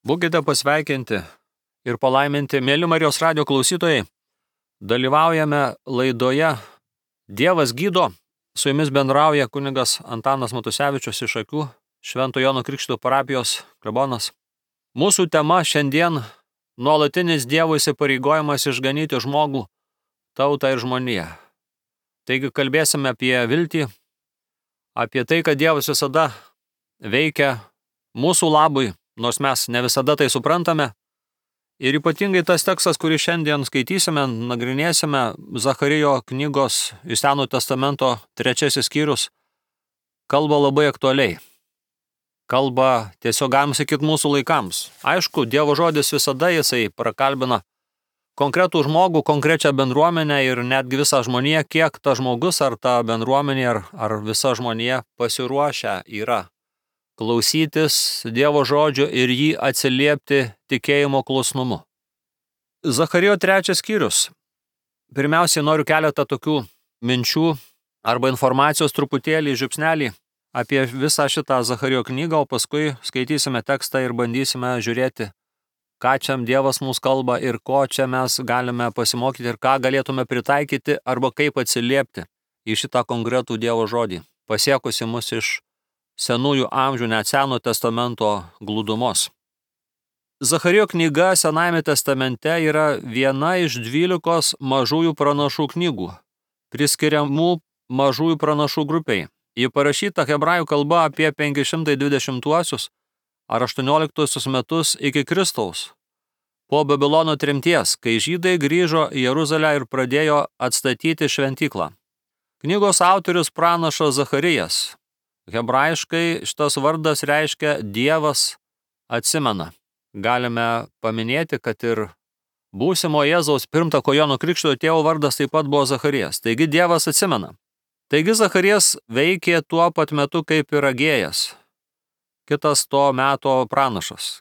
Būkite pasveikinti ir palaiminti, mėly Marijos radijo klausytojai. Dalyvaujame laidoje Dievas gydo. Su jumis bendrauja kunigas Antanas Matusevičius iš Akių, Švento Jono Krikštytojo parapijos klebonas. Mūsų tema šiandien – nuolatinis Dievo įsipareigojimas išganyti žmogų, tautą ir žmoniją. Taigi kalbėsime apie viltį, apie tai, kad Dievas visada veikia mūsų labui, nors mes ne visada tai suprantame. Ir ypatingai tas tekstas, kurį šiandien skaitysime, nagrinėsime, Zacharijo knygos iš Senojo testamento 3 skyrius, kalba labai aktualiai. Kalba tiesiog galim sakyti mūsų laikams. Aišku, Dievo žodis visada jisai prakalbina konkretų žmogų, konkrečią bendruomenę ir netgi visą žmoniją, kiek ta žmogus ar ta bendruomenė ar visa žmonija pasiruošę yra klausytis Dievo žodžio ir jį atsiliepti tikėjimo klusnumu. Zacharijo 3 skyrius. Pirmiausiai noriu keletą tokių minčių arba informacijos truputėlį, žiupsnelį apie visą šitą Zacharijo knygą, o paskui skaitysime tekstą ir bandysime žiūrėti, ką čia Dievas mums kalba ir ko čia mes galime pasimokyti ir ką galėtume pritaikyti arba kaip atsiliepti į šitą konkretų Dievo žodį, pasiekusi mus iš senųjų amžių, net Senojo testamento glūdumos. Zacharijo knyga Senajame testamente yra viena iš 12 mažųjų pranašų knygų, priskiriamų mažųjų pranašų grupiai. Ji parašyta hebrajų kalba apie 520 ar 18 metus iki Kristaus, po Babilono tremties, kai žydai grįžo į Jeruzalę ir pradėjo atstatyti šventyklą. Knygos autorius pranašas Zacharijas. Hebrajiškai šitas vardas reiškia Dievas atsimena. Galime paminėti, kad ir būsimo Jėzaus pirmtako Jono Krikštytojo tėvo vardas taip pat buvo Zacharijas. Taigi Dievas atsimena. Taigi Zacharijas veikė tuo pat metu kaip ir Agėjas, kitas to meto pranašas.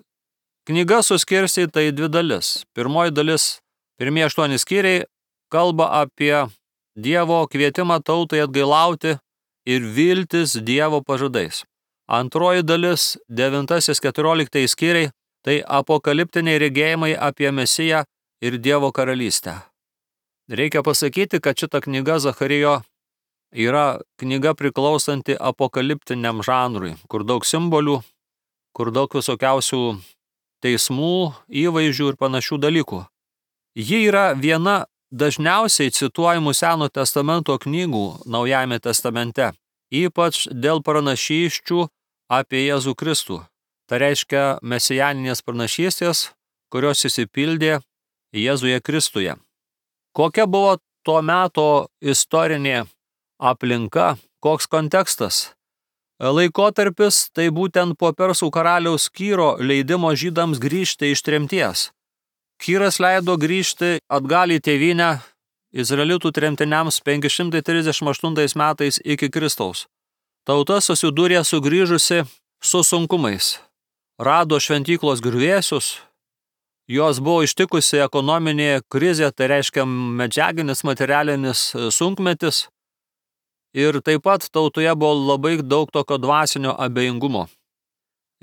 Knyga suskirstyta į 2 dalis. Pirmoji dalis, pirmieji 8 skyriai, kalba apie Dievo kvietimą tautai atgailauti ir viltis Dievo pažadais. Antroji dalis, 9-14 skyriai, tai apokaliptiniai regėjimai apie Mesiją ir Dievo karalystę. Reikia pasakyti, kad šita knyga Zacharijo yra knyga priklausanti apokaliptiniam žanrui, kur daug simbolių, kur daug visokiausių teismų, įvaizdžių ir panašių dalykų. Ji yra viena dažniausiai cituojamų Senojo testamento knygų Naujajame testamente, ypač dėl pranašysčių apie Jėzų Kristų. Tai reiškia mesijaninės pranašystės, kurios išsipildė Jėzuje Kristuje. Kokia buvo to meto istorinė aplinka, koks kontekstas? Laikotarpis tai būtent po Persų karaliaus Kyro leidimo žydams grįžti iš tremties. Kyras leido grįžti atgal į tėvynę izraelitų tremtiniams 538 metais iki Kristaus. Tauta susidūrė sugrįžusi su sunkumais. Rado šventyklos griuvėsius, jos buvo ištikusi ekonominė krizė, tai reiškia medžiaginis, materialinis sunkmetis. Ir taip pat tautoje buvo labai daug tokio dvasinio abejingumo.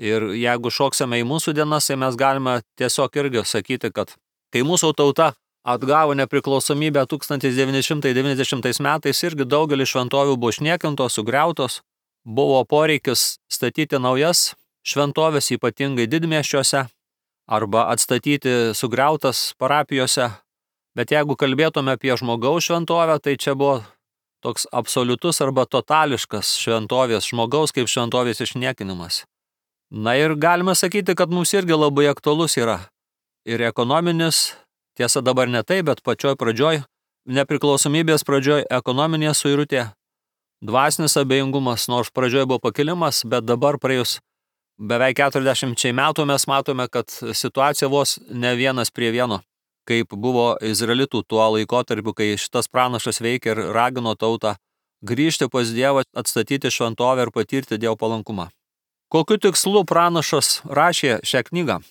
Ir jeigu šoksime į mūsų dienas, tai mes galime tiesiog irgi sakyti, kad kai mūsų tauta atgavo nepriklausomybę 1990 metais, irgi daugelis šventovių buvo išniekintos, sugriautos, buvo poreikis statyti naujas šventovės, ypatingai didmiesčiuose, arba atstatyti sugriautas parapijose. Bet jeigu kalbėtume apie žmogaus šventovę, tai čia buvo toks absoliutus arba totališkas šventovės, žmogaus kaip šventovės išniekinimas. Na ir galime sakyti, kad mums irgi labai aktualus yra ir ekonominis, tiesa dabar ne tai, bet pačioj pradžioj, nepriklausomybės pradžioj ekonominė suirutė, dvasinis abejingumas, nors pradžioj buvo pakilimas, bet dabar praėjus beveik 40 metų mes matome, kad situacija vos ne 1:1, kaip buvo izraelitų tuo laikotarpiu, kai šitas pranašas veikė ir ragino tautą grįžti pas Dievą, atstatyti šventovę ir patirti Dievo palankumą. Kokiu tikslu pranašas rašė šią knygą?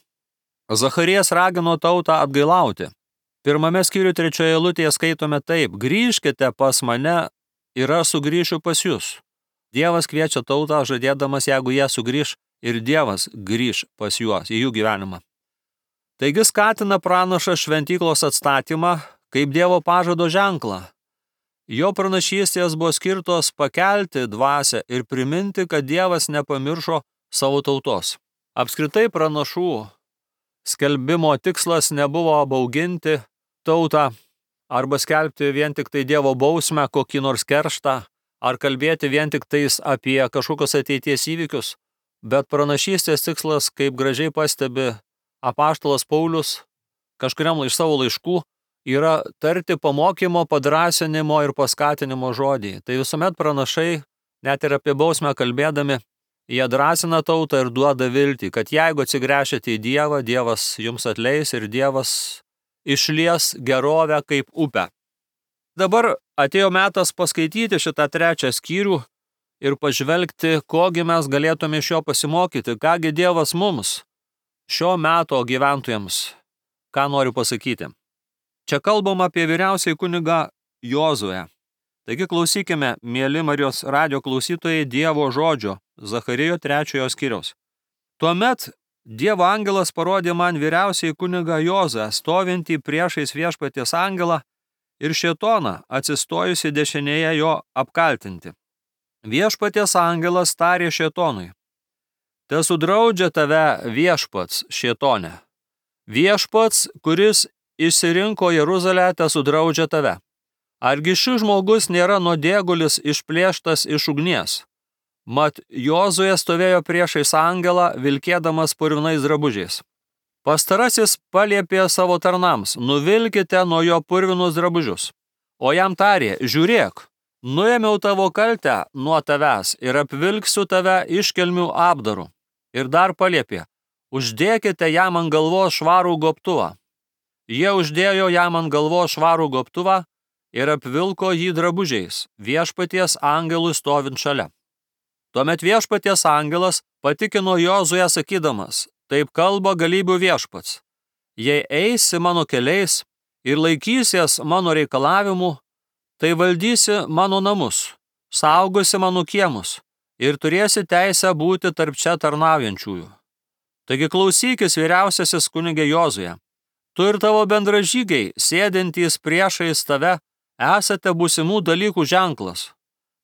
Zacharijas ragino tautą atgailauti. 1 skyriuje 3 eilutėje skaitome taip: grįžkite pas mane ir aš sugrįšiu pas jūs. Dievas kviečia tautą, žadėdamas, jeigu jie sugrįš ir Dievas grįž pas juos į jų gyvenimą. Taigi skatina pranašas šventyklos atstatymą kaip Dievo pažado ženklą. Jo pranašystės buvo skirtos pakelti dvasią ir priminti, kad Dievas nepamiršo savo tautos. Apskritai pranašų skelbimo tikslas nebuvo bauginti tautą arba skelbti vien tik tai Dievo bausmę, kokį nors kerštą, ar kalbėti vien tik tais apie kažkokios ateities įvykius, bet pranašystės tikslas, kaip gražiai pastebi apaštalas Paulius kažkuriam iš savo laiškų, yra tarti pamokymo, padrąsinimo ir paskatinimo žodį. Tai visuomet pranašai, net ir apie bausmę kalbėdami, jie drąsina tautą ir duoda viltį, kad jeigu atsigręšite į Dievą, Dievas jums atleis ir Dievas išlies gerovę kaip upę. Dabar atėjo metas paskaityti šitą 3 skyrių ir pažvelgti, kogi mes galėtume iš jo pasimokyti, kągi Dievas mums, šio meto gyventojams, ką noriu pasakyti. Čia kalbam apie vyriausiąjį kunigą Jozuę. Taigi klausykime, mieli Marijos radijo klausytojai, Dievo žodžio, Zacharijo 3 skyriaus. Tuomet Dievo angelas parodė man vyriausiąjį kunigą Jozuę, stovintį priešais viešpaties angelą ir šėtoną, atsistojusi dešinėje jo apkaltinti. Viešpaties angelas tarė šėtonui: tesudraudžia tave viešpats, šėtone. Viešpats, kuris išsirinko Jeruzalę, tesudraudžia tave. Argi šis žmogus nėra nuodėgulis išplėštas iš ugnies? Mat Jozuė stovėjo priešais angelą, vilkėdamas purvinais drabužiais. Pastarasis paliepė savo tarnams: nuvilkite nuo jo purvinus drabužius. O jam tarė: žiūrėk, nuėmiau tavo kaltę nuo tavęs ir apvilksiu tave iškelmių apdaru. Ir dar paliepė: uždėkite jam ant galvos švarų gobtuvą. Jie uždėjo jam ant galvos švarų gobtuvą ir apvilko jį drabužiais, viešpaties angelui stovint šalia. Tuomet viešpaties angelas patikino Jozuę sakydamas: taip kalba galybių viešpats. Jei eisi mano keliais ir laikysies mano reikalavimų, tai valdysi mano namus, saugosi mano kiemus ir turėsi teisę būti tarp čia tarnaujančiųjų. Taigi klausykis, vyriausiasis kunige Jozuė. Tu ir tavo bendražygiai, sėdintys priešais tave, esate būsimų dalykų ženklas.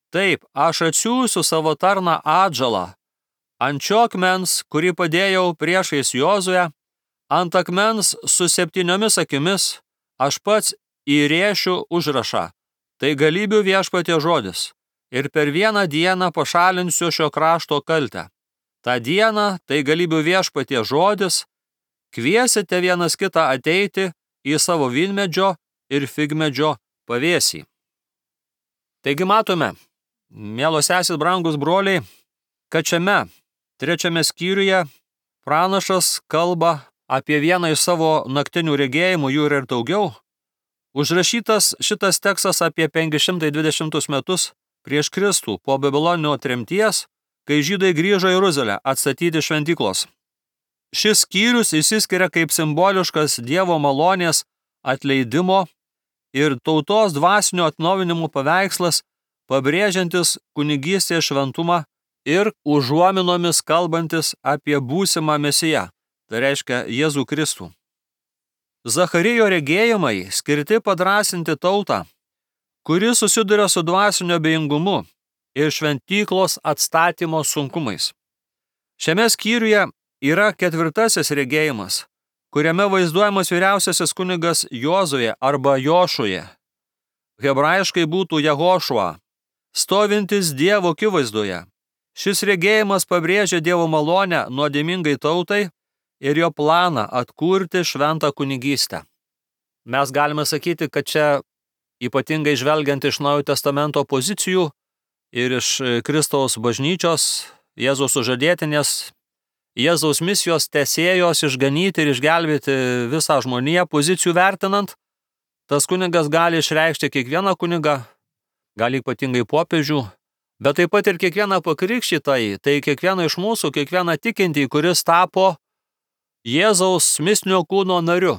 Taip, aš atsiųsiu savo tarną Atžalą. Ant šio akmens, kurį padėjau priešais Jozuę, ant akmens su 7 akimis, aš pats įrėšiu užrašą. Tai galybių viešpatie žodis. Ir per vieną dieną pašalinsiu šio krašto kaltę. Ta diena, tai galybių viešpatie žodis, kviesite vienas kitą ateiti į savo vynmedžio ir figmedžio pavėsį. Taigi matome, mielos sesės, brangus broliai, kad šiame 3 skyriuje pranašas kalba apie vieną iš savo naktinių regėjimų, jų yra ir daugiau. Užrašytas šitas tekstas apie 520 metus prieš Kristų po Babiloninio tremties, kai žydai grįžo į Jeruzalę atstatyti šventyklos. Šis skyrius išsiskiria kaip simboliškas Dievo malonės atleidimo ir tautos dvasinio atnaujinimo paveikslas, pabrėžiantis kunigystės šventumą ir užuominomis kalbantis apie būsimą Mesiją, tai reiškia Jėzų Kristų. Zacharijo regėjimai skirti padrąsinti tautą, kuri susiduria su dvasinio abejingumu ir šventyklos atstatymo sunkumais. Šiame skyriuje yra 4 regėjimas, kuriame vaizduojamas vyriausiasis kunigas Jozuė arba Jošuje. Hebrajiškai būtų Jehošua, stovintis Dievo akivaizdoje. Šis regėjimas pabrėžia Dievo malonę nuodėmingai tautai ir jo planą atkurti šventą kunigystę. Mes galime sakyti, kad čia ypatingai žvelgiant iš Naujojo testamento pozicijų ir iš Kristaus bažnyčios, Jėzaus sužadėtinės, Jėzaus misijos tęsėjos išganyti ir išgelbėti visą žmoniją pozicijų vertinant, tas kunigas gali išreikšti kiekvieną kunigą, gali ypatingai popiežių, bet taip pat ir kiekvieną pakrikštytąjį, tai kiekvieną iš mūsų, kiekvieną tikintį, kuris tapo Jėzaus mistinio kūno nariu,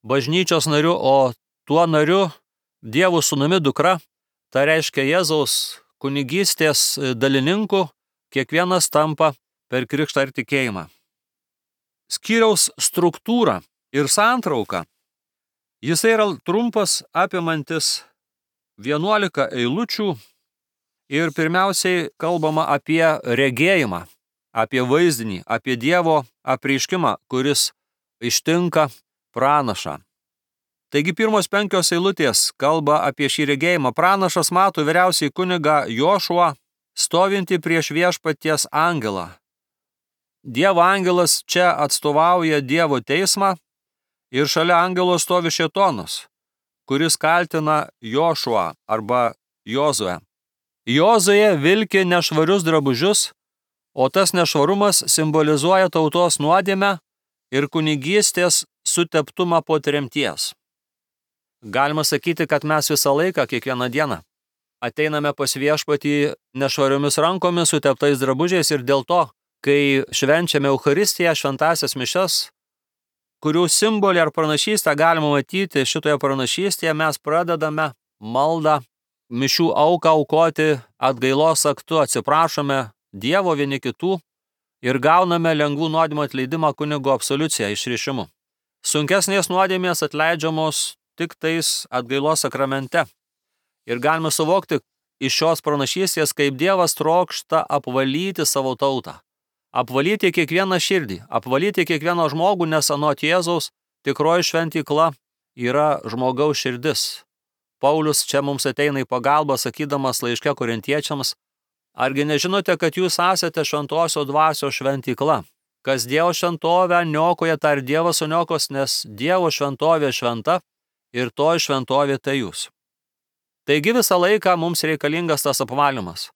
bažnyčios nariu, o tuo nariu Dievo sūnumi dukra, tai reiškia Jėzaus kunigystės dalininku, kiekvienas tampa per krikštą ir tikėjimą. Skyriaus struktūra ir santrauka. Jisai yra trumpas, apimantis 11 eilučių ir pirmiausiai kalbama apie regėjimą, apie vaizdinį, apie Dievo apreiškimą, kuris ištinka pranašą. Taigi pirmos 5 eilutės kalba apie šį regėjimą. Pranašas mato vyriausiąjį kunigą Jošuą stovintį prieš viešpaties angelą. Dievo angelas čia atstovauja Dievo teismą ir šalia angelo stovi šėtonas, kuris kaltina Jošuą arba Jozuę. Jozuė vilki nešvarius drabužius, o tas nešvarumas simbolizuoja tautos nuodėmę ir kunigystės suteptumą po tremties. Galima sakyti, kad mes visą laiką, kiekvieną dieną, ateiname pas viešpatį nešvariomis rankomis, suteptais drabužiais ir dėl to, kai švenčiame Eucharistiją, šventąsias mišias, kurių simbolį ar pranašystę galima matyti šitoje pranašystėje, mes pradedame maldą, mišių auką aukoti atgailos aktu, atsiprašome Dievo vieni kitų ir gauname lengvų nuodėmių atleidimą kunigo absoliuciją išrišimu. Sunkesnės nuodėmės atleidžiamos tik tais atgailos sakramente. Ir galime suvokti iš šios pranašystės, kaip Dievas trokšta apvalyti savo tautą. Apvalyti kiekvieną širdį, apvalyti kiekvieną žmogų, nes anot Jėzaus tikroji šventykla yra žmogaus širdis. Paulius čia mums ateina į pagalbą, sakydamas laiške korintiečiams: argi nežinote, kad jūs esate šventosios dvasios šventykla? Kas Dievo šventovę niokoja, tą ir Dievas suniokos, nes Dievo šventovė šventa ir toj šventovė tai jūs. Taigi visą laiką mums reikalingas tas apvalymas.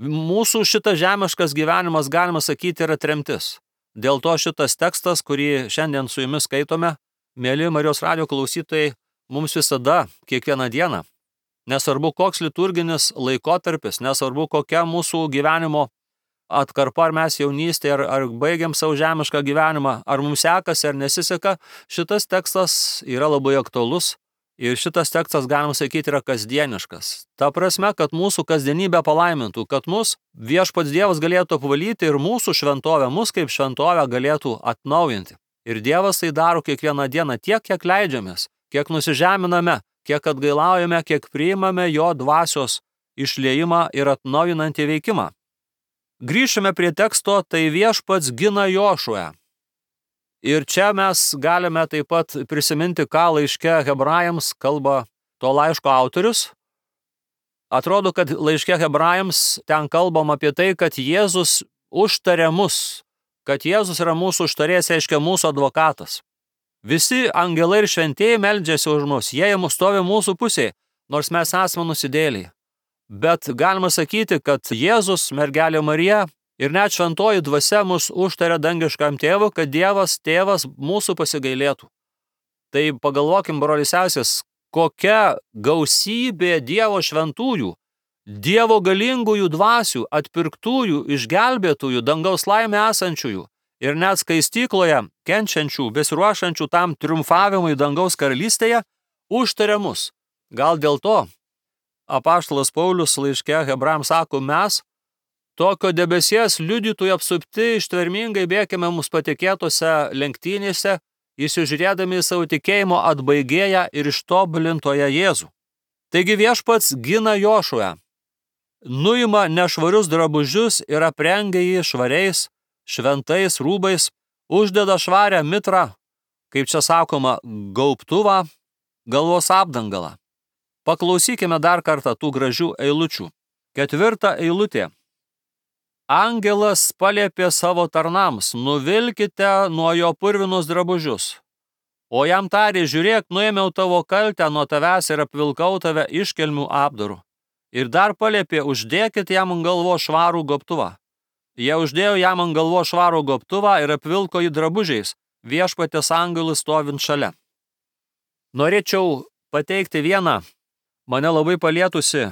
Mūsų šitas žemiškas gyvenimas, galima sakyti, yra tremtis. Dėl to šitas tekstas, kurį šiandien su jumis skaitome, mieli Marijos radijo klausytojai, mums visada, kiekvieną dieną, nesvarbu koks liturginis laikotarpis, nesvarbu kokia mūsų gyvenimo atkarpa, ar mes jaunystėje, ar baigiam savo žemišką gyvenimą, ar mums sekasi, ar nesiseka, šitas tekstas yra labai aktualus ir šitas tekstas, galima sakyti, yra kasdieniškas. Ta prasme, kad mūsų kasdienybę palaimintų, kad mus viešpats Dievas galėtų apvalyti ir mūsų šventovę, mus kaip šventovę galėtų atnaujinti. Ir Dievas tai daro kiekvieną dieną tiek, kiek leidžiamės, kiek nusižeminame, kiek atgailaujame, kiek priimame jo dvasios išliejimą ir atnaujinantį veikimą. Grįšime prie teksto, tai viešpats gina Jošuę. Ir čia mes galime taip pat prisiminti, ką laiške Hebrajams kalba to laiško autorius. Atrodo, kad laiške Hebrajams ten kalbam apie tai, kad Jėzus užtarė mus, kad Jėzus yra mūsų užtarėjas, reiškia mūsų advokatas. Visi angelai ir šventieji meldžiasi už mus, jie stovi mūsų pusėje, nors mes esame nusidėliai. Bet galima sakyti, kad Jėzus, mergelė Marija ir net šventoji dvasia mus užtarė dangiškam tėvui, kad Dievas tėvas mūsų pasigailėtų. Tai pagalvokim, broliai sesės, kokia gausybė Dievo šventųjų, Dievo galingųjų dvasių, atpirktųjų, išgelbėtųjų, dangaus laimė esančiųjų ir net skaistykloje kenčiančių, besiruošančių tam triumfavimui dangaus karalystėje užtarė mus. Gal dėl to apaštalas Paulius laiške Hebrajams sako: mes tokio debesies liudytojų apsupti ištvermingai bėkime mums patikėtose lenktynėse, įsižiūrėdami į savo tikėjimo atbaigėją ir ištobulintoją Jėzų. Taigi viešpats gina Jošuę, nuima nešvarius drabužius ir aprengia jį švariais, šventais rūbais, uždeda švarią mitrą, kaip čia sakoma, gaubtuvą, galvos apdangalą. Paklausykime dar kartą tų gražių eilučių. 4 eilutė. Angelas paliepė savo tarnams: nuvilkite nuo jo purvinus drabužius. O jam tarė: žiūrėk, nuėmiau tavo kaltę nuo tavęs ir apvilkau tave iškelmių apdaru. Ir dar paliepė: uždėkit jam ant galvos švarų gobtuvą. Jie uždėjo jam ant galvos švarų gobtuvą ir apvilko jį drabužiais, viešpaties angelui stovint šalia. Norėčiau pateikti vieną, mane labai palietusi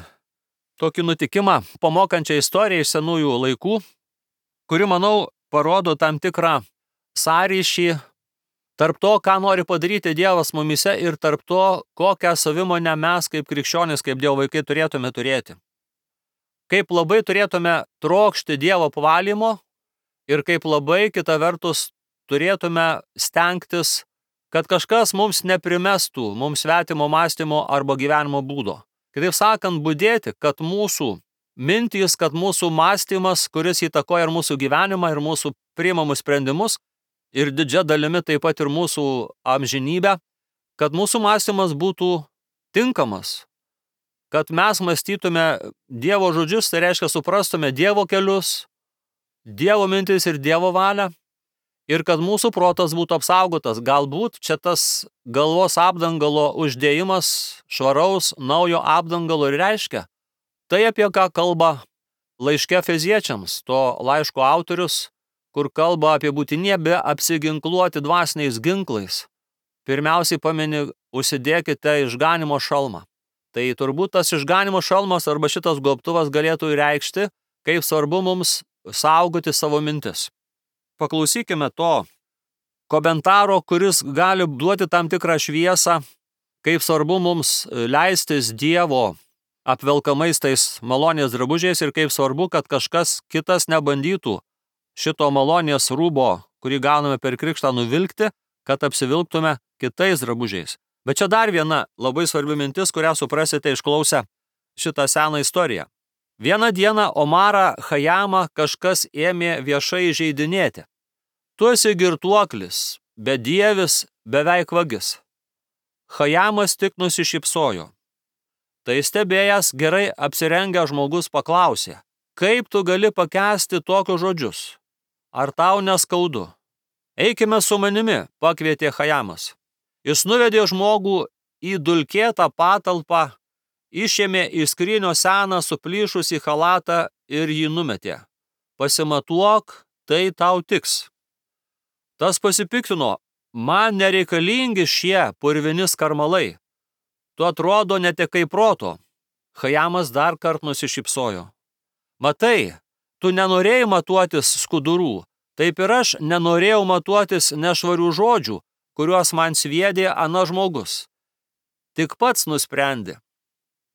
tokį nutikimą, pamokančią istoriją iš senųjų laikų, kuri, manau, parodo tam tikrą sąryšį tarp to, ką nori padaryti Dievas mumise ir tarp to, kokią savimonę mes kaip krikščionys, kaip Dievo vaikai turėtume turėti. Kaip labai turėtume trokšti Dievo apvalymo ir kaip labai kita vertus turėtume stengtis, kad kažkas mums neprimestų mums svetimo mąstymo arba gyvenimo būdo. Kitaip sakant, budėti, kad mūsų mintys, kad mūsų mąstymas, kuris įtakoja ir mūsų gyvenimą, ir mūsų priimamus sprendimus, ir didžia dalimi taip pat ir mūsų amžinybę, kad mūsų mąstymas būtų tinkamas, kad mes mąstytume Dievo žodžius, tai reiškia suprastume Dievo kelius, Dievo mintis ir Dievo valią, ir kad mūsų protas būtų apsaugotas. Galbūt čia tas galvos apdangalo uždėjimas švaraus naujo apdangalo ir reiškia tai, apie ką kalba laiške Efeziečiams, to laiško autorius, kur kalba apie būtinybę apsiginkluoti dvasiniais ginklais. Pirmiausiai pamini, užsidėkite išganimo šalmą. Tai turbūt tas išganimo šalmas arba šitas gobtuvas galėtų reikšti, kaip svarbu mums saugoti savo mintis. Paklausykime to komentaro, kuris gali duoti tam tikrą šviesą, kaip svarbu mums leistis Dievo apvelkamais tais malonės drabužiais ir kaip svarbu, kad kažkas kitas nebandytų šito malonės rūbo, kurį gauname per krikštą, nuvilkti, kad apsivilktume kitais drabužiais. Bet čia dar viena labai svarbi mintis, kurią suprasite išklausę šitą seną istoriją. Vieną dieną Omarą Chajamą kažkas ėmė viešai įžeidinėti. Tu esi girtuoklis, bedievis, beveik vagis. Chajamas tik nusišypsojo. Tai stebėjęs gerai apsirengęs žmogus paklausė, kaip tu gali pakęsti tokius žodžius? Ar tau neskaudu? Eikime su manimi, pakvietė Chajamas. Jis nuvedė žmogų į dulkėtą patalpą, išėmė iš skrynios seną suplyšusį chalatą ir jį numetė. Pasimatuok, tai tau tiks. Tas pasipiktino, man nereikalingi šie purvini skarmalai. Tu atrodo netekai proto. Chajamas dar kart nusišypsojo. Matai, tu nenorėjai matuotis skudurų, taip ir aš nenorėjau matuotis nešvarių žodžių, kuriuos man sviedė ana žmogus. Tik pats nusprendė,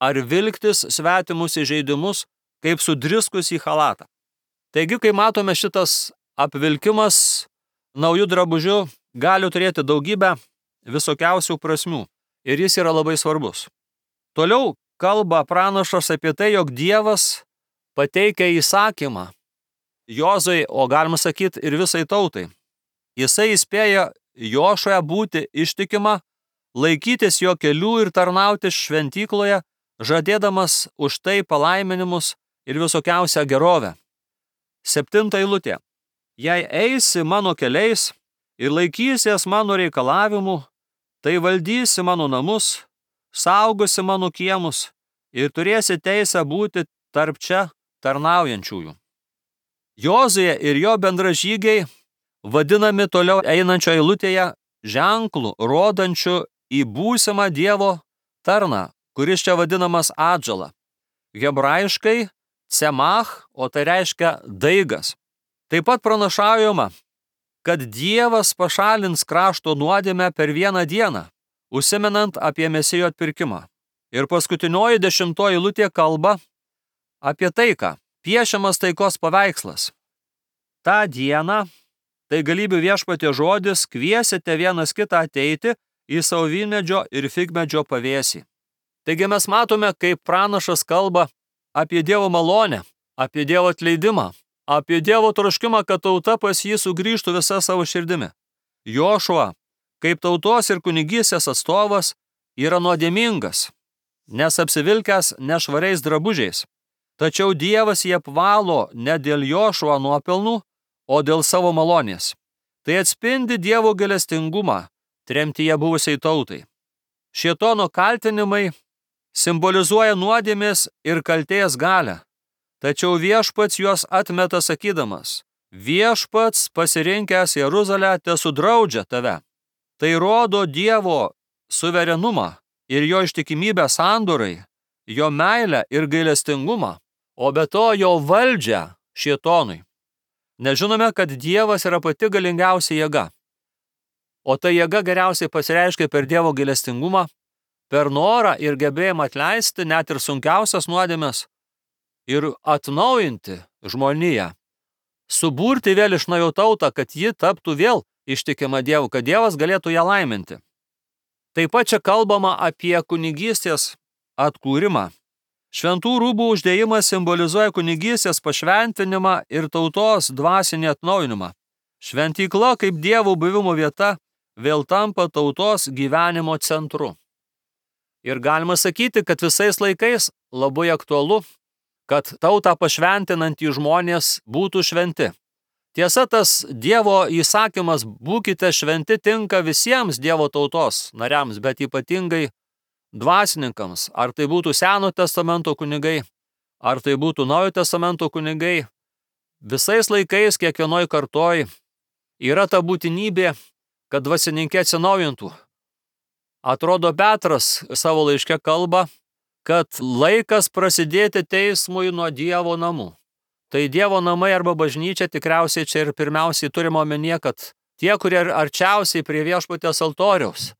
ar vilktis svetimus įžeidimus, kaip sudriskus į chalatą. Taigi, kai matome, šitas apvilkimas naujų drabužių gali turėti daugybę visokiausių prasmių ir jis yra labai svarbus. Toliau kalba pranašas apie tai, jog Dievas pateikia įsakymą Jozui, o galima sakyti ir visai tautai. Jisai įspėja Jošuę būti ištikima, laikytis jo kelių ir tarnauti šventykloje, žadėdamas už tai palaiminimus ir visokiausią gerovę. 7 eilutė. Jei eisi mano keliais ir laikysies mano reikalavimų, tai valdysi mano namus, saugosi mano kiemus ir turėsi teisę būti tarp čia tarnaujančiųjų. Jozuė ir jo bendražygiai vadinami toliau einančio eilutėje ženklų, rodančių į būsimą Dievo tarną, kuris čia vadinamas atžala. Hebrajiškai cemach, o tai reiškia daigas. Taip pat pranašaujama, kad Dievas pašalins krašto nuodėmę per vieną dieną, užsimenant apie Mesijo atpirkimą. Ir paskutinioji 10 eilutė kalba apie taiką, piešiamas taikos paveikslas. Ta diena, tai galybių viešpatie žodis, kviesite vienas kitą ateiti į savo vynmedžio ir figmedžio pavėsį. Taigi mes matome, kaip pranašas kalba apie Dievo malonę, apie Dievo atleidimą, apie Dievo troškimą, kad tauta pas jį sugrįžtų visa savo širdimi. Jošua, kaip tautos ir kunigystės atstovas, yra nuodėmingas, nes apsivilkęs nešvariais drabužiais. Tačiau Dievas jį apvalo ne dėl Jošua nuopelnų, o dėl savo malonės. Tai atspindi Dievo gailestingumą tremtyje buvusiai tautai. Šėtono kaltinimai simbolizuoja nuodėmės ir kaltės galią. Tačiau viešpats juos atmeta sakydamas, viešpats pasirinkęs Jeruzalę tesudraudžia tave. Tai rodo Dievo suverenumą ir jo ištikimybę sandorai, jo meilę ir gailestingumą, o be to jo valdžią šėtonui. Nežinome, kad Dievas yra pati galingiausia jėga, o ta jėga geriausiai pasireiškia per Dievo gailestingumą, per norą ir gebėjimą atleisti net ir sunkiausias nuodėmes ir atnaujinti žmoniją, suburti vėl iš naujo tautą, kad ji taptų vėl ištikima Dievu, kad Dievas galėtų ją laiminti. Taip pat čia kalbama apie kunigystės atkūrimą. Šventų rūbų uždėjimas simbolizuoja kunigystės pašventinimą ir tautos dvasinį atnaujinimą. Šventykla kaip Dievo buvimo vieta vėl tampa tautos gyvenimo centru. Ir galima sakyti, kad visais laikais labai aktualu, kad tautą pašventinantys žmonės būtų šventi. Tiesa, tas Dievo įsakymas būkite šventi tinka visiems Dievo tautos nariams, bet ypatingai dvasininkams, ar tai būtų Seno testamento kunigai, ar tai būtų Naujojo testamento kunigai, visais laikais, kiekvienoj kartoj yra ta būtinybė, kad dvasininkė atsinaujintų. Atrodo, Petras savo laiške kalba, kad laikas prasidėti teismui nuo Dievo namų. Tai Dievo namai arba bažnyčia tikriausiai čia ir pirmiausiai turime omenyje, kad tie, kurie arčiausiai prie viešpaties altoriaus,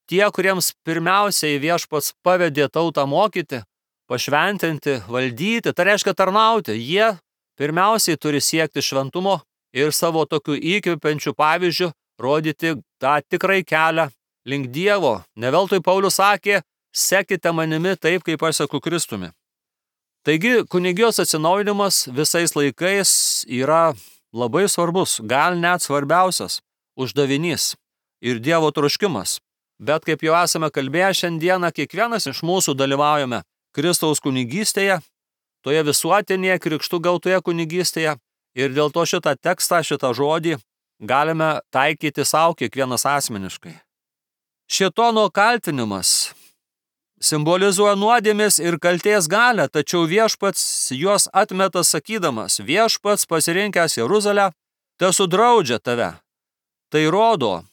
tie, kuriems pirmiausiai viešpats pavedė tautą mokyti, pašventinti, valdyti, tai reiškia tarnauti, jie pirmiausiai turi siekti šventumo ir savo tokių įkvepiančių pavyzdžių rodyti tą tikrai kelią link Dievo. Ne veltui Paulius sakė, sekite manimi taip, kaip aš seku Kristumi. Taigi, kunigijos atsinaujinimas visais laikais yra labai svarbus, gal net svarbiausias uždavinys ir Dievo troškimas. Bet kaip jau esame kalbėję šiandieną, kiekvienas iš mūsų dalyvaujame Kristaus kunigystėje, toje visuotinėje krikštų gautoje kunigystėje ir dėl to šitą tekstą, šitą žodį galime taikyti savo kiekvienas asmeniškai. Šėtono kaltinimas simbolizuoja nuodėmės ir kaltės galią, tačiau viešpats juos atmeta sakydamas, viešpats pasirinkęs Jeruzalę, tesudraudžia tave. Tai rodo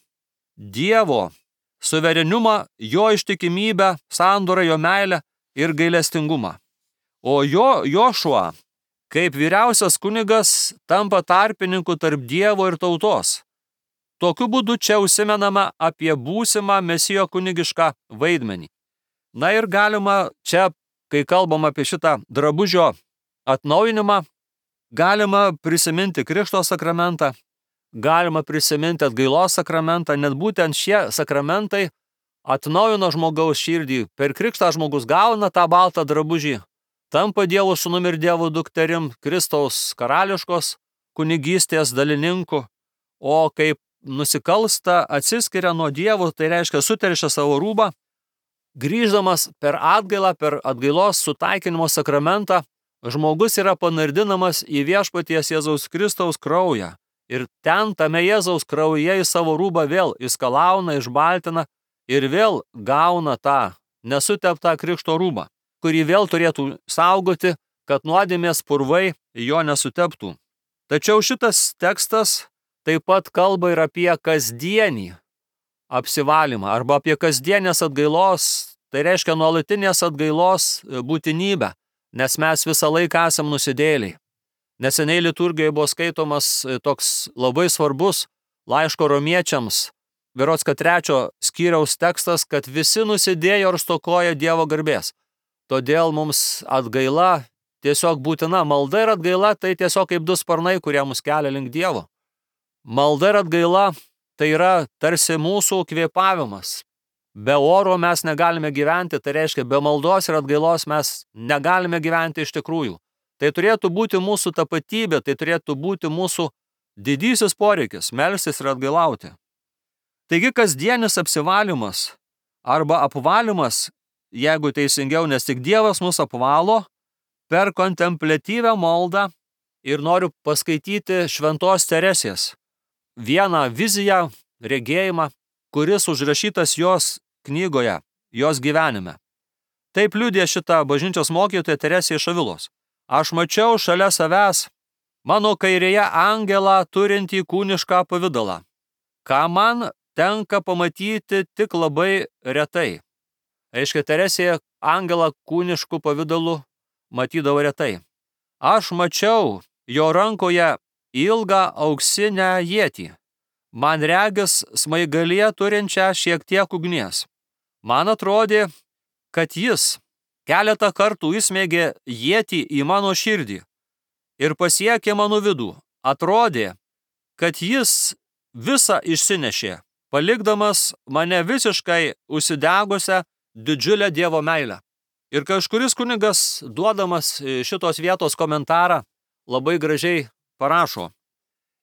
Dievo suverenumą, jo ištikimybę, sandorą, jo meilę ir gailestingumą. O Jošua, kaip vyriausias kunigas, tampa tarpininku tarp Dievo ir tautos. Tokiu būdu čia užsimenama apie būsimą Mesijo kunigišką vaidmenį. Na ir galima čia, kai kalbam apie šitą drabužio atnaujinimą, galima prisiminti Krikšto sakramentą, galima prisiminti atgailos sakramentą, net būtent šie sakramentai atnaujino žmogaus širdį. Per krikštą žmogus gauna tą baltą drabužį, tampa Dievo sūnumi ir Dievo dukterim, Kristaus karališkos kunigystės dalininku, o kaip nusikalsta, atsiskiria nuo Dievo, tai reiškia suteršia savo rūbą, grįždamas per atgailą, per atgailos sutaikinimo sakramentą, žmogus yra panardinamas į viešpaties Jėzaus Kristaus kraują. Ir ten, tame Jėzaus kraujyje, į savo rūbą vėl išskalauna, išbaltina ir vėl gauna tą nesuteptą krikšto rūbą, kurį vėl turėtų saugoti, kad nuodėmės purvai jo nesuteptų. Tačiau šitas tekstas taip pat kalba ir apie kasdienį apsivalymą arba apie kasdienės atgailos, tai reiškia nuolatinės atgailos būtinybę, nes mes visą laiką esam nusidėliai. Neseniai liturgijoje buvo skaitomas toks labai svarbus laiško romiečiams, berods 3 skyriaus tekstas, kad visi nusidėjo ir stokoja Dievo garbės. Todėl mums atgaila tiesiog būtina. Malda ir atgaila tai tiesiog kaip du sparnai, kurie mus kelia link Dievo. Malda ir atgaila tai yra tarsi mūsų kvėpavimas. Be oro mes negalime gyventi, tai reiškia, be maldos ir atgailos mes negalime gyventi iš tikrųjų. Tai turėtų būti mūsų tapatybė, tai turėtų būti mūsų didysis poreikis – melstis ir atgailauti. Taigi kasdienis apsivalymas arba apvalymas, jeigu teisingiau, nes tik Dievas mus apvalo per kontempliatyvią maldą ir noriu paskaityti Šventos Teresės vieną viziją, regėjimą, kuris užrašytas jos knygoje, jos gyvenime. Taip liudija šitą bažnyčios mokytoja Teresė iš Avilos. Aš mačiau šalia savęs mano kairėje angelą turintį kūnišką pavidalą, ką man tenka pamatyti tik labai retai. Aiškia, Teresė angelą kūniškų pavidalų matydavo retai. Aš mačiau jo rankoje ilgą auksinę ietį, man regis smaigalyje turinčią šiek tiek ugnies. Man atrodė, kad jis keletą kartų įsmeigė ietį į mano širdį ir pasiekė mano vidų. atrodė, kad jis visą išsinešė, palikdamas mane visiškai užsidegusią didžiulę Dievo meilę. Ir kažkuris kunigas, duodamas šitos vietos komentarą, labai gražiai parašo: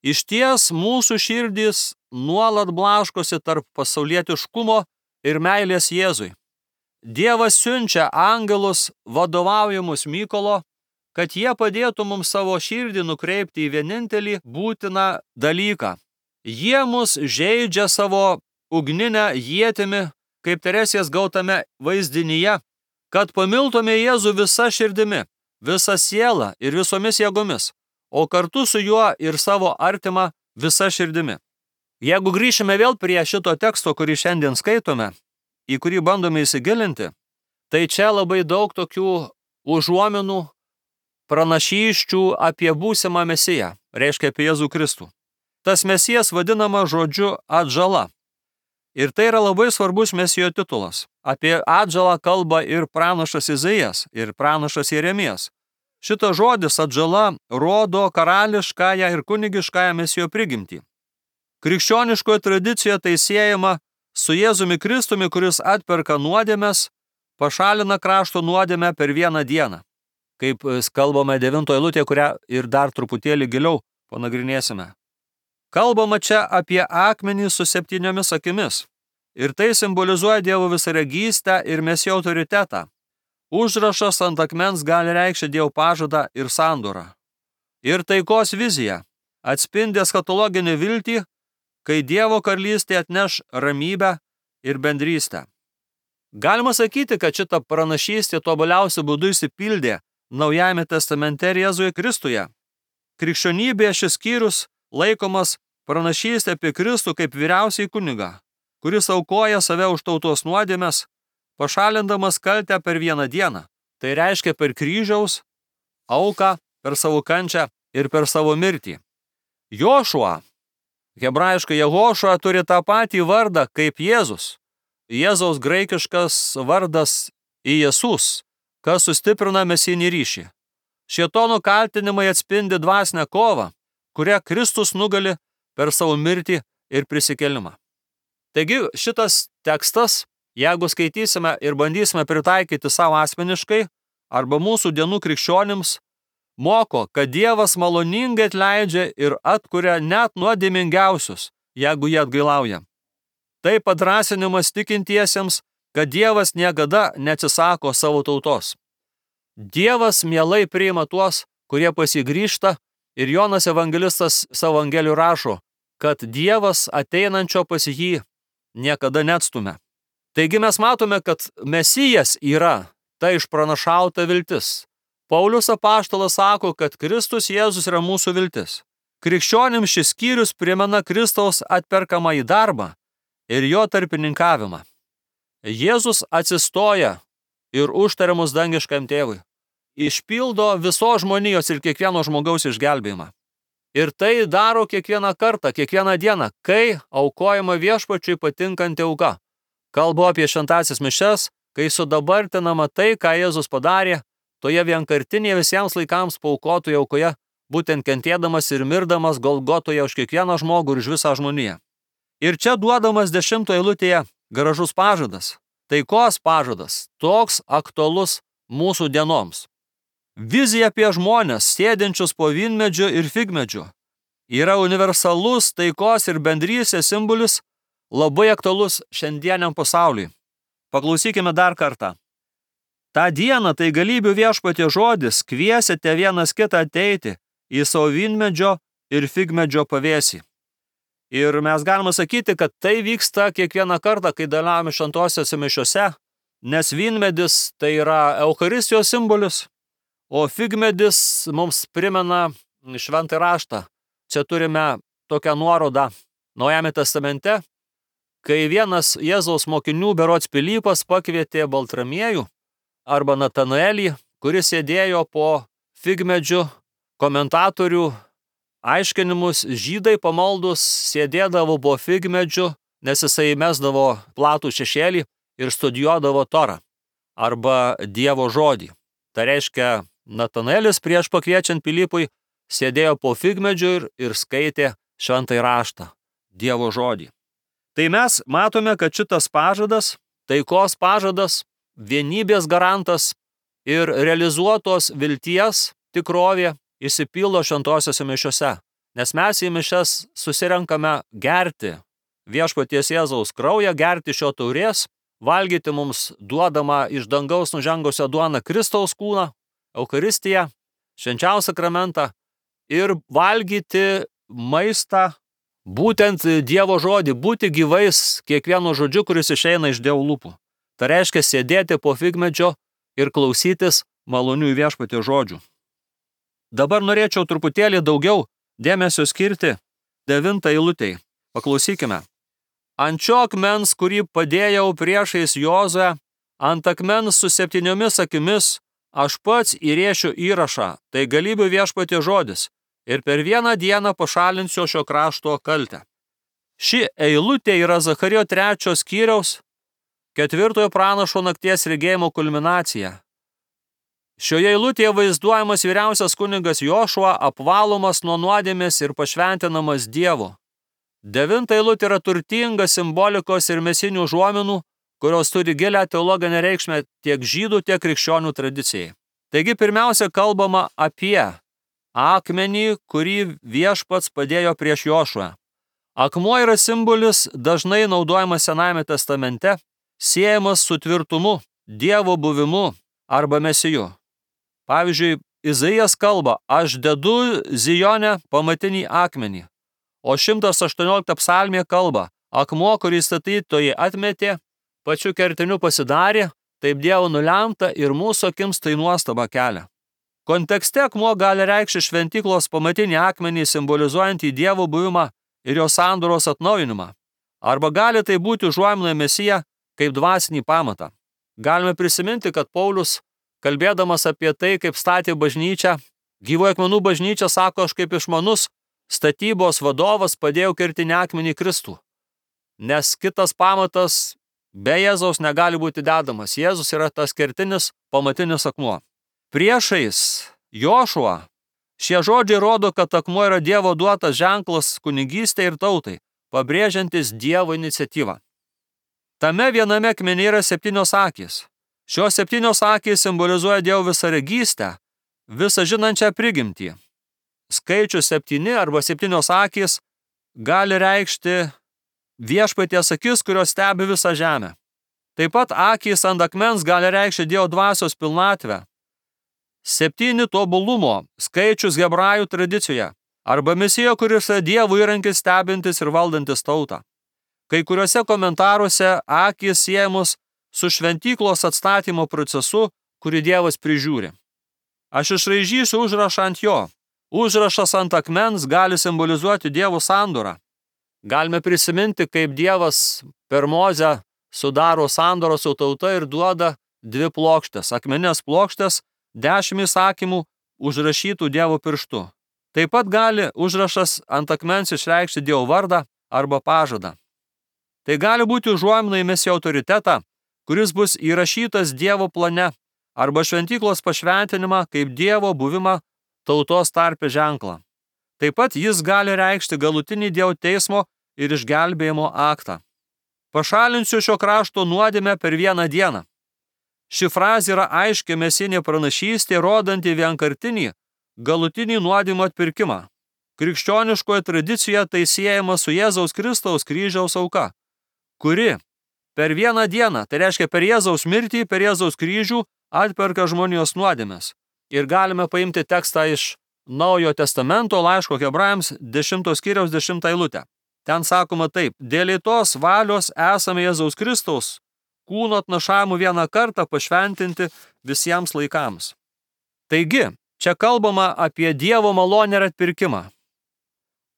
išties mūsų širdys nuolat blaškosi tarp pasaulietiškumo ir meilės Jėzui. Dievas siunčia angelus vadovaujamus Mykolo, kad jie padėtų mums savo širdį nukreipti į vienintelį būtiną dalyką. Jie mus žeidžia savo ugninę ietimi, kaip Teresės gautame vaizdinyje, kad pamiltume Jėzų visa širdimi, visa siela ir visomis jėgomis, o kartu su juo ir savo artimą visa širdimi. Jeigu grįšime vėl prie šito teksto, kurį šiandien skaitome, į kurį bandome įsigilinti, tai čia labai daug tokių užuominų, pranašysčių apie būsimą Mesiją, reiškia apie Jėzų Kristų. Tas Mesijas vadinama žodžiu atžala. Ir tai yra labai svarbus Mesijo titulas. Apie atžalą kalba ir pranašas Izaijas, ir pranašas Jeremijas. Šitas žodis atžala rodo karališkąją ir kunigiškąją Mesijo prigimtį. Krikščioniškoje tradicijoje tai siejama su Jėzumi Kristumi, kuris atperka nuodėmes, pašalina krašto nuodėmę per vieną dieną. Kaip kalbame 9 eilutėje, kurią ir dar truputėlį giliau panagrinėsime. Kalbama čia apie akmenį su 7 akimis. Ir tai simbolizuoja Dievo visaregystę ir Mesijo autoritetą. Užrašas ant akmens gali reikšti Dievo pažadą ir sandorą. Ir taikos vizija atspindi eschatologinį viltį, kai Dievo karalystė atneš ramybę ir bendrystę. Galima sakyti, kad šita pranašystė tobuliausiu būdu išsipildė Naujajame testamente ir Jėzuje Kristuje. Krikščionybėje šis skyrius laikomas pranašystė apie Kristų kaip vyriausiąjį kunigą, kuris aukoja save už tautos nuodėmes, pašalindamas kaltę per vieną dieną. Tai reiškia per kryžiaus auką, per savo kančią ir per savo mirtį. Jošua, hebrajiškai Jehošua, turi tą patį vardą kaip Jėzus. Jėzaus graikiškas vardas Iesus, kas sustiprina mesijinį ryšį. Šėtono kaltinimai atspindi dvasinę kovą, kurią Kristus nugali per savo mirtį ir prisikėlimą. Taigi šitas tekstas, jeigu skaitysime ir bandysime pritaikyti savo asmeniškai arba mūsų dienų krikščionims, moko, kad Dievas maloningai atleidžia ir atkuria net nuodėmingiausius, jeigu jie atgailauja. Tai padrąsinimas tikintiesiems, kad Dievas niekada neatsisako savo tautos. Dievas mielai priima tuos, kurie pasigrįžta, ir Jonas evangelistas savo evangelijų rašo, kad Dievas ateinančio pas jį niekada neatstumia. Taigi mes matome, kad Mesijas yra ta išpranašauta viltis. Paulius apaštalas sako, kad Kristus Jėzus yra mūsų viltis. Krikščionims šis skyrius primena Kristaus atperkamąjį darbą ir jo tarpininkavimą. Jėzus atsistoja ir užtaria mus dangiškam tėvui. Išpildo visos žmonijos ir kiekvieno žmogaus išgelbėjimą. Ir tai daro kiekvieną kartą, kiekvieną dieną, kai aukojama Viešpačiui patinkanti auka. Kalbu apie šventąsias mišias, kai sudabartinama tai, ką Jėzus padarė, toje vienkartinėje visiems laikams paaukotoje aukoje, būtent kentėdamas ir mirdamas Golgotoje už kiekvieną žmogų ir už visą žmoniją. Ir čia duodamas 10 eilutėje gražus pažadas, taikos pažadas, toks aktualus mūsų dienoms. Vizija apie žmonės, sėdinčius po vynmedžiu ir figmedžiu, yra universalus taikos ir bendrystės simbolis, labai aktualus šiandieniam pasauliui. Paklausykime dar kartą. Ta diena, tai galybių Viešpatie žodis, kviesite vienas kitą ateiti į savo vynmedžio ir figmedžio pavėsį. Ir mes galime sakyti, kad tai vyksta kiekvieną kartą, kai dalyvaujame šventosiose mišiose, nes vynmedis tai yra Eucharistijos simbolis, o figmedis mums primena šventąjį raštą. Čia turime tokią nuorodą Naujajame testamente, kai vienas Jėzaus mokinių berods Pilypas pakvietė Baltramiejų arba Natanaelį, kuris sėdėjo po figmedžiu, komentatorių aiškinimus, žydai pamaldus sėdėdavo po figmedžiu, nes jisai mesdavo platų šešėlį ir studijuodavo Torą arba Dievo žodį. Tai reiškia, Natanaelis prieš pakviečiant Pilypui sėdėjo po figmedžiu ir skaitė šventąjį raštą, Dievo žodį. Tai mes matome, kad šitas pažadas, taikos pažadas, vienybės garantas ir realizuotos vilties tikrovė išsipildo šventosiose mišiose, nes mes į mišias susirenkame gerti viešpaties Jėzaus kraują, gerti šio taurės, valgyti mums duodama iš dangaus nužengusią duoną Kristaus kūną, Eucharistiją, švenčiausią sakramentą ir valgyti maistą, būtent Dievo žodį, būti gyvais kiekvienu žodžiu, kuris išeina iš Dievo lūpų. Tai reiškia sėdėti po figmedžio ir klausytis malonių viešpaties žodžių. Dabar norėčiau truputėlį daugiau dėmesio skirti 9 eilutei. Paklausykime. Ant šio akmens, kurį padėjau priešais Jozuę, ant akmens su 7 akimis, aš pats įrėšiu įrašą, tai galybių viešpaties žodis, ir per vieną dieną pašalinsiu šio krašto kaltę. Ši eilutė yra Zacharijo 3 skyriaus 4 pranašo nakties regėjimo kulminacija. Šioje eilutėje vaizduojamas vyriausias kunigas Jošua apvalomas nuo nuodėmės ir pašventinamas Dievu. 9 eilutė yra turtinga simbolikos ir mesinių užuominų, kurios turi gilią teologinę reikšmę tiek žydų, tiek krikščionių tradicijai. Taigi pirmiausia kalbama apie akmenį, kurį viešpats padėjo prieš Jošuą. Akmuo yra simbolis dažnai naudojamas Senajame testamente, siejamas su tvirtumu, Dievo buvimu arba mesiju. Pavyzdžiui, Izaijas kalba, aš dedu Zijone pamatinį akmenį, o 118 psalmė kalba, akmuo, kurį statytojai atmetė, pačiu kertiniu pasidarė, taip Dievo nulemta ir mūsų akims tai nuostaba kelia. Kontekste akmuo gali reikšti šventyklos pamatinį akmenį simbolizuojantį Dievo buvimą ir jo sandoros atnaujinimą. Arba gali tai būti užuomina Mesiją kaip dvasinį pamatą. Galime prisiminti, kad Paulius, kalbėdamas apie tai, kaip statė bažnyčią, gyvųjų akmenų bažnyčią, sako, aš kaip išmanus statybos vadovas padėjau kertinį akmenį Kristų. Nes kitas pamatas be Jėzaus negali būti dedamas. Jėzus yra tas kertinis pamatinis akmuo. Priešais Jošuą šie žodžiai rodo, kad akmuo yra Dievo duotas ženklas kunigystei ir tautai, pabrėžiantis Dievo iniciatyvą. Tame viename akmenyje yra 7 akys. Šios 7 akys simbolizuoja Dievo visaregystę, visą žinančią prigimtį. Skaičius 7 arba 7 akys gali reikšti viešpaties akis, kurios stebi visą žemę. Taip pat akys ant akmens gali reikšti Dievo dvasios pilnatvę. 7 tobulumo skaičius hebrajų tradicijoje arba Mesijo, kuris yra Dievo įrankis stebintis ir valdantis tautą. Kai kuriuose komentaruose akys siejamos su šventyklos atstatymo procesu, kurį Dievas prižiūri. Aš išraižysiu užrašą ant jo. Užrašas ant akmens gali simbolizuoti Dievo sandorą. Galime prisiminti, kaip Dievas per Mozę sudaro sandorą su tauta ir duoda 2 plokštės, akmenės plokštės, 10 įsakymų užrašytų Dievo pirštu. Taip pat gali užrašas ant akmens išreikšti Dievo vardą arba pažadą. Tai gali būti užuomina į Mesijo autoritetą, kuris bus įrašytas Dievo plane, arba šventyklos pašventinimą kaip Dievo buvimą tautos tarpe ženklą. Taip pat jis gali reikšti galutinį Dievo teismo ir išgelbėjimo aktą. Pašalinsiu šio krašto nuodėmę per vieną dieną. Ši frazė yra aiški mesinė pranašystė, rodanti vienkartinį, galutinį nuodėmio atpirkimą. Krikščioniškoje tradicijoje tai siejama su Jėzaus Kristaus kryžiaus auka, kuri per vieną dieną, tai reiškia per Jėzaus mirtį, per Jėzaus kryžių, atperka žmonijos nuodėmes. Ir galime paimti tekstą iš Naujojo testamento laiško Hebrajams 10 skyriaus 10 eilutę. Ten sakoma taip, dėl tos valios esame Jėzaus Kristaus kūno atnašavimu vieną kartą pašventinti visiems laikams. Taigi, čia kalbama apie Dievo malonę ir atpirkimą.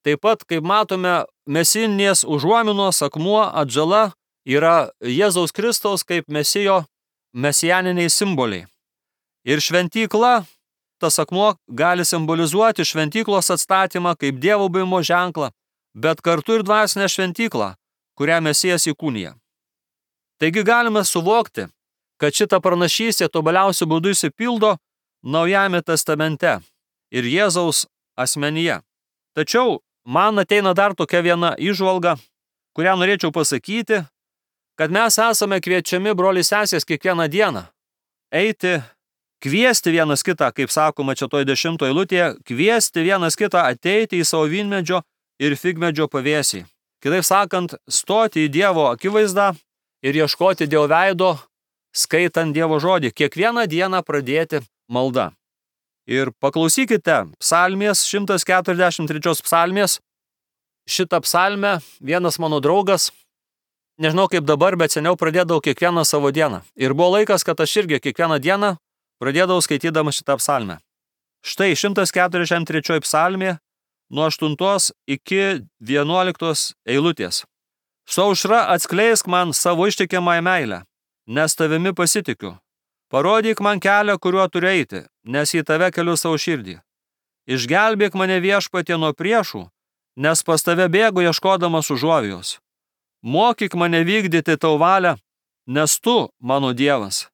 Taip pat, kaip matome, mesinės užuominos akmuo atžala yra Jėzaus Kristaus kaip Mesijo mesijaniniai simboliai. Ir šventykla, tas akmuo gali simbolizuoti šventyklos atstatymą kaip Dievo buvimo ženklą, bet kartu ir dvasinę šventyklą, kurią Mesijas įkūnija. Taigi galime suvokti, kad šita pranašystė tobuliausiu būdu išsipildo Naujajame testamente ir Jėzaus asmenyje. Tačiau man ateina dar tokia viena įžvalga, kurią norėčiau pasakyti, kad mes esame kviečiami, broliai sesės, kiekvieną dieną eiti, kviesti vienas kitą, kaip sakoma čia toj 10 eilutėje, kviesti vienas kitą ateiti į savo vynmedžio ir figmedžio pavėsį. Kitaip sakant, stoti į Dievo akivaizdą ir ieškoti Dievo veido, skaitant Dievo žodį. Kiekvieną dieną pradėti maldą. Ir paklausykite psalmės, 143 psalmės. Šitą psalmę vienas mano draugas, nežinau kaip dabar, bet seniau pradėdavau kiekvieną savo dieną. Ir buvo laikas, kad aš irgi kiekvieną dieną pradėdavau skaitydama šitą psalmę. Štai 143 psalmė nuo 8 iki 11 eilutės. Su aušra atskleisk man savo ištikimąją meilę, nes tavimi pasitikiu. Parodyk man kelią, kuriuo turiu eiti, nes į tave keliu savo širdį. Išgelbėk mane Viešpatie nuo priešų, nes pas tave bėgu ieškodamas užuovėjos. Mokyk mane vykdyti tau valią, nes tu, mano Dievas.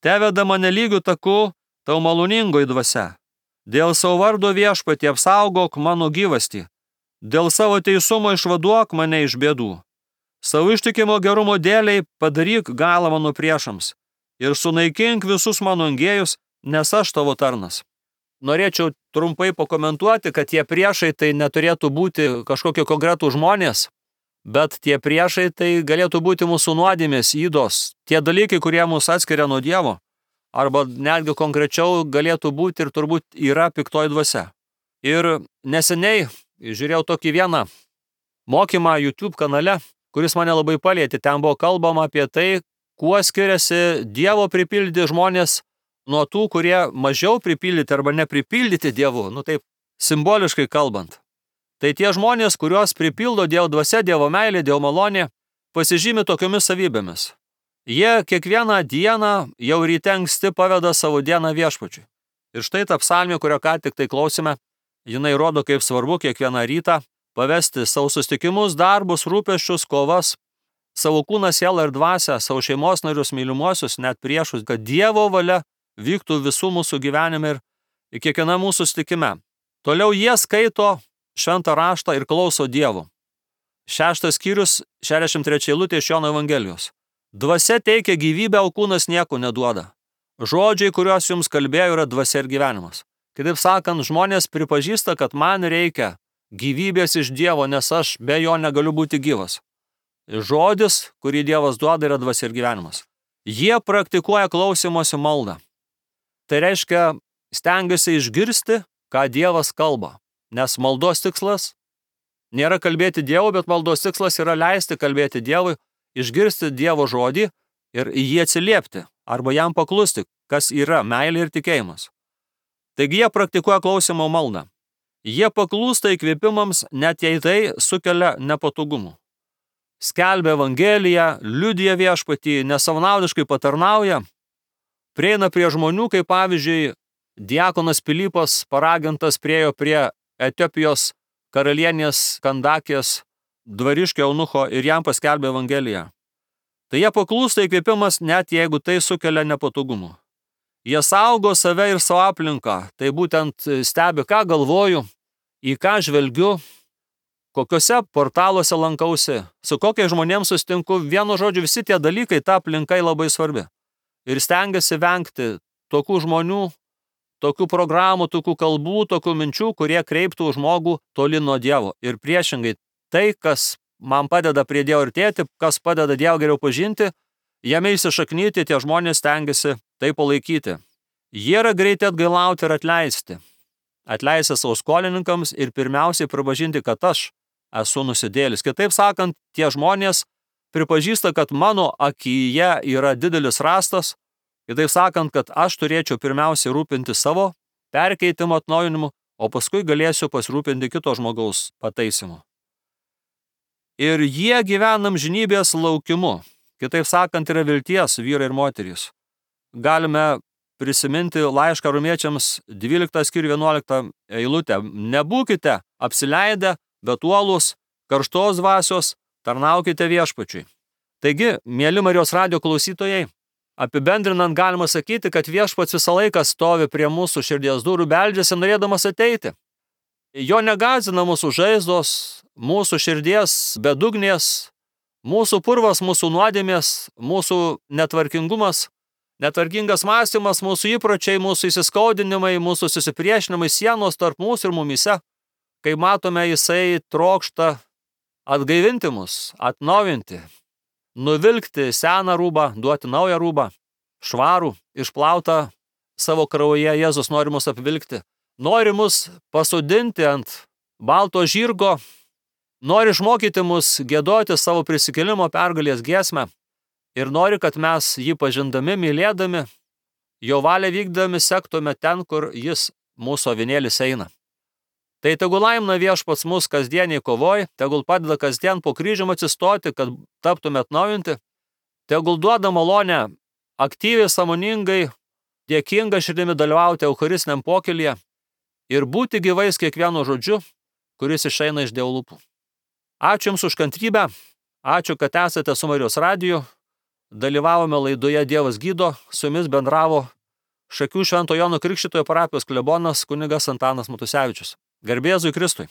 Teveda mane lygiu taku, tau maloningoji dvasia. Dėl savo vardo Viešpatie apsaugok mano gyvastį. Dėl savo teisumo išvaduok mane iš bėdų. Savo ištikimo gerumo dėliai padaryk galą mano priešams ir sunaikink visus mano engėjus, nes aš tavo tarnas. Norėčiau trumpai pakomentuoti, kad tie priešai tai neturėtų būti kažkokie konkretų žmonės, bet tie priešai tai galėtų būti mūsų nuodėmės, ydos, tie dalykai, kurie mus atskiria nuo Dievo, arba netgi konkrečiau galėtų būti ir turbūt yra piktoji dvasia. Ir neseniai žiūrėjau tokį vieną mokymą YouTube kanale, kuris mane labai palietė. Ten buvo kalbama apie tai, kuo skiriasi Dievo pripildyti žmonės nuo tų, kurie mažiau pripildyti arba nepripildyti Dievu, taip simboliškai kalbant. Tai tie žmonės, kuriuos pripildo Dievo dvasia, Dievo meilė, Dievo malonė, pasižymi tokiomis savybėmis. Jie kiekvieną dieną jau ryte anksti paveda savo dieną Viešpačiui. Ir štai ta psalmė, kurio ką tik tai klausime, jinai rodo, kaip svarbu kiekvieną rytą pavesti savo susitikimus, darbus, rūpesčius, kovas, savo kūną, sielą ir dvasią, savo šeimos narius, mylimuosius, net priešus, kad Dievo valia vyktų visų mūsų gyvenime ir kiekviena mūsų susitikime. Toliau jie skaito šventą raštą ir klauso Dievo. 6 skyrius, 63 eilutė iš Jono Evangelijos. Dvasia teikia gyvybę, o kūnas nieko neduoda. Žodžiai, kuriuos jums kalbėjau, yra dvasia ir gyvenimas. Kitaip sakant, žmonės pripažįsta, kad man reikia gyvybės iš Dievo, nes aš be jo negaliu būti gyvas. Žodis, kurį Dievas duoda, yra dvasia ir gyvenimas. Jie praktikuoja klausymosi maldą. Tai reiškia, stengiasi išgirsti, ką Dievas kalba. Nes maldos tikslas nėra kalbėti Dievui, bet maldos tikslas yra leisti kalbėti Dievui, išgirsti Dievo žodį ir į jį atsiliepti, arba jam paklusti, kas yra meilė ir tikėjimas. Taigi jie praktikuoja klausimo maldą. Jie paklūsta įkvėpimams, net jei tai sukelia nepatogumų. Skelbia Evangeliją, liudija Viešpatį, nesavanaudiškai patarnauja, prieina prie žmonių, kaip pavyzdžiui, diakonas Pilypas paragintas priėjo prie Etiopijos karalienės Kandakės dvariškio eunucho ir jam paskelbė Evangeliją. Tai jie paklūsta įkvėpimas, net jeigu tai sukelia nepatogumų. Jie saugo save ir savo aplinką, tai būtent stebi, ką galvoju, į ką žvelgiu, kokiuose portaluose lankausi, su kokiais žmonėms sustinku. Vienu žodžiu, visi tie dalykai, ta aplinkai labai svarbi. Ir stengiasi vengti tokių žmonių, tokių programų, tokių kalbų, tokių minčių, kurie kreiptų žmogų toli nuo Dievo. Ir priešingai, tai, kas man padeda prie Dievo artėti, kas padeda Dievą geriau pažinti, jame įsišaknyti, tie žmonės stengiasi tai palaikyti. Jie yra greiti atgailauti ir atleisti. Atleisti savo skolininkams ir pirmiausiai pripažinti, kad aš esu nusidėlis. Kitaip sakant, tie žmonės pripažįsta, kad mano akyje yra didelis rastas. Kitaip sakant, kad aš turėčiau pirmiausiai rūpinti savo perkeitimo atnaujinimu, o paskui galėsiu pasirūpinti kito žmogaus pataisimu. Ir jie gyvena amžinybės laukimu. Kitaip sakant, yra vilties vyrai ir moterys. Galime prisiminti laišką Romiečiams 12 skyrių 11 eilutę. Nebūkite apsileidę, bet uolūs, karštos dvasios, tarnaukite Viešpačiui. Taigi, mieli Marijos radijo klausytojai, apibendrinant galima sakyti, kad Viešpats visą laiką stovi prie mūsų širdies durų, beldžiasi norėdamas ateiti. Jo negazina mūsų žaizdos, mūsų širdies bedugnės, mūsų purvas, mūsų nuodėmės, mūsų netvarkingumas, netvarkingas mąstymas, mūsų įpročiai, mūsų įsiskaudinimai, mūsų susipriešinimai, sienos tarp mūsų ir mumyse. Kai matome, jisai trokšta atgaivinti mus, atnaujinti, nuvilkti seną rūbą, duoti naują rūbą, švarų, išplautą savo kraujyje. Jėzus nori mus apvilkti, nori mus pasodinti ant balto žirgo, nori išmokyti mus giedoti savo prisikėlimo pergalės giesmę ir nori, kad mes jį pažindami, mylėdami, jo valią vykdami sektume ten, kur jis, mūsų avinėlis, eina. Tai tegul laimina Viešpats mus kasdieniai kovoj, tegul padeda kasdien po kryžium atsistoti, kad taptume atnaujinti, tegul duoda malonę aktyviai, sąmoningai, dėkinga širdimi dalyvauti eucharistiniam pokylyje ir būti gyvais kiekvienu žodžiu, kuris išeina iš Dievo lūpų. Ačiū Jums už kantrybę, ačiū, kad esate su Marijos radiju, dalyvavome laidoje Dievas gydo, su Jumis bendravo Šakių Švento Jono Krikštytojo parapijos klebonas kunigas Antanas Matusevičius. Garbė Jėzui Kristui.